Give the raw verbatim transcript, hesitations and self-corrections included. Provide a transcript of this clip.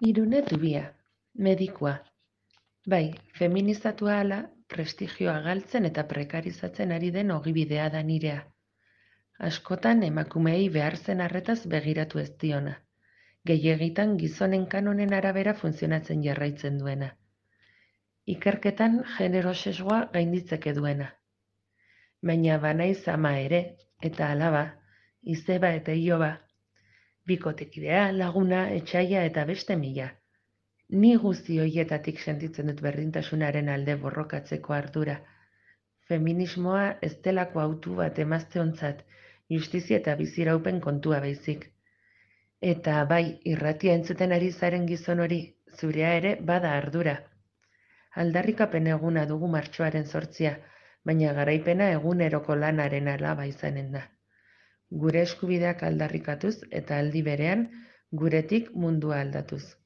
Irune Zubia, medikua. Bai, feminizatua hala, prestigioa galtzen eta prekarizatzen ari den ogibidea da nirea. Askotan emakumeei behar zen arretaz begiratu ez diona. Gehiegitan gizonen kanonen arabera funtzionatzen jarraitzen duena. Ikerketan genero sesgoa gainditzeke duena. Baina banaiz ama ere, eta alaba, izeba eta iloba, bikotekidea, laguna, etxaia eta beste mila. Ni guzti horietatik sentitzen dut berdintasunaren alde borrokatzeko ardura. Feminismoa ez delako hautu bat emazteontzat, justizia eta biziraupen kontua baizik. Eta bai, irratia entzuten ari zaren gizon hori, zurea ere bada ardura. Aldarrikapen eguna dugu martxoaren zortzia, baina garaipena eguneroko lanaren alaba izanen da. Gure eskubideak aldarrikatuz eta aldi berean, guretik mundua aldatuz.